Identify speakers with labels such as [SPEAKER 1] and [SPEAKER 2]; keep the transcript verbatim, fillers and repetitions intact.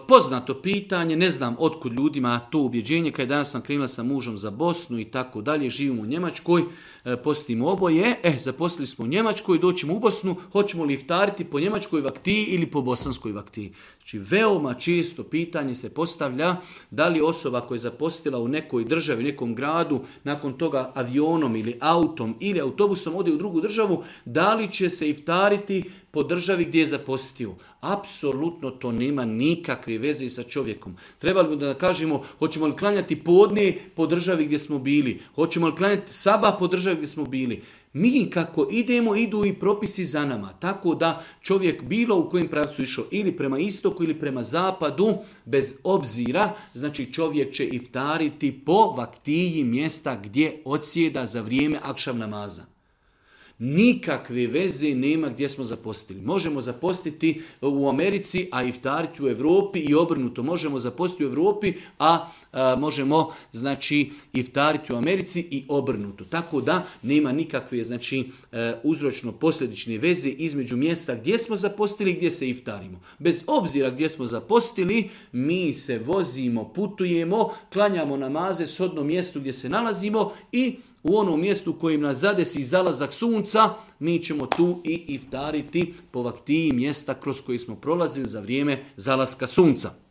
[SPEAKER 1] Poznato pitanje, ne znam otkud ljudima to ubjeđenje, kada danas sam krenula sa mužom za Bosnu i tako dalje, živimo u Njemačkoj, postimo oboje, eh, zaposlili smo u Njemačkoj, doćemo u Bosnu, hoćemo li iftariti po njemačkoj vaktiji ili po bosanskoj vaktiji. Znači, veoma često pitanje se postavlja da li osoba koja je zapostila u nekoj državi, u nekom gradu, nakon toga avionom ili autom ili autobusom ode u drugu državu, da li će se iftariti po državi gdje je zapostio. Apsolutno to nema nikakve veze sa čovjekom. Trebali bi da kažemo, hoćemo li klanjati podne po državi gdje smo bili, hoćemo li klanjati sabah po državi gdje smo bili. Mi kako idemo, idu i propisi za nama. Tako da čovjek bilo u kojem pravcu išao ili prema istoku ili prema zapadu, bez obzira, znači čovjek će iftariti po vaktiji mjesta gdje odsjeda za vrijeme akšam namaza. Nikakve veze nema gdje smo zapostili. Možemo zapostiti u Americi, a iftariti u Europi i obrnuto. Možemo zapostiti u Europi, a, a možemo znači iftariti u Americi i obrnuto. Tako da nema nikakve znači uzročno-posljedične veze između mjesta gdje smo zapostili i gdje se iftarimo. Bez obzira gdje smo zapostili, mi se vozimo, putujemo, klanjamo namaze s odnom mjestu gdje se nalazimo i u onom mjestu kojim nas zadesi zalazak sunca, mi ćemo tu i iftariti po vaktiji mjesta kroz koji smo prolazili za vrijeme zalaska sunca.